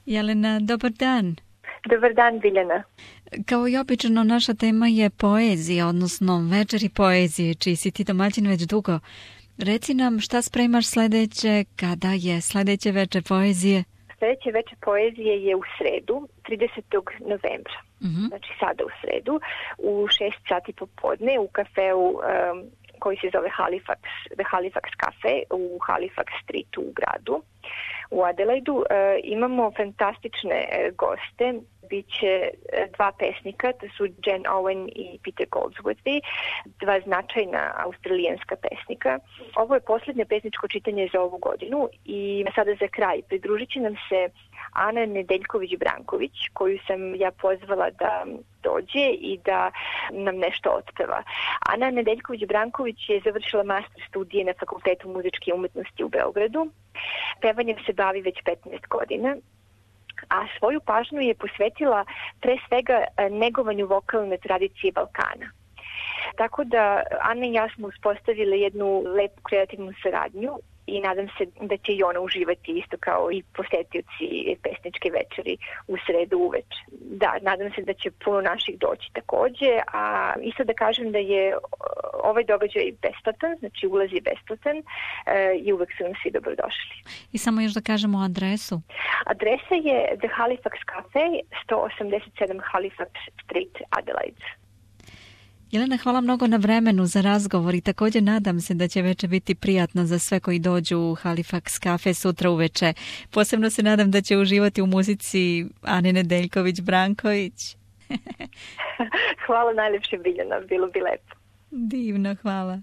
Jelena, dobar dan. Dobar dan, Biljana. Kao i obično, naša tema je poezija, odnosno večeri poezije, čiji si ti domaćin već dugo. Reci nam šta spremaš sledeće, kada je sledeće večer poezije? Sledeće večer poezije je u sredu, 30. novembra. Znači sada u sredu, u 6 sati popodne u kafeu koji se zove The Halifax Cafe u Halifax Streetu u gradu. U Adelaidu imamo fantastične goste. Biće dva pesnika, to su Jen Owen i Peter Goldsworthy, dva značajna australijanska pesnika. Ovo je posljednje pesničko čitanje za ovu godinu i sada za kraj pridružit će nam se Ana Nedeljković-Branković, koju sam ja pozvala da dođe i da nam nešto otpeva. Ana Nedeljković-Branković je završila master studije na Fakultetu muzičke umetnosti u Beogradu. Pevanjem se bavi već 15 godina. A svoju pažnju je posvetila pre svega negovanju vokalne tradicije Balkana. Tako da Ana i ja smo uspostavili jednu lepu kreativnu saradnju i nadam se da će i ona uživati isto kao i posetioci pesničke večeri u sredu uveče. Da, nadam se da će puno naših doći takođe, a isto da kažem da je ovaj događaj besplatan, znači ulaz je besplatan i uvek su nam svi dobrodošli. I samo još da kažemo adresu. Adresa je The Halifax Cafe, 187 Halifax Street, Adelaide. Jelena, hvala mnogo na vremenu za razgovor i također nadam se da će večer biti prijatno za sve koji dođu u Halifax Cafe sutra uveče. Posebno se nadam da će uživati u muzici Ane Nedeljković-Branković. Hvala najljepše, Biljana, bilo bi lepo. Divno, hvala.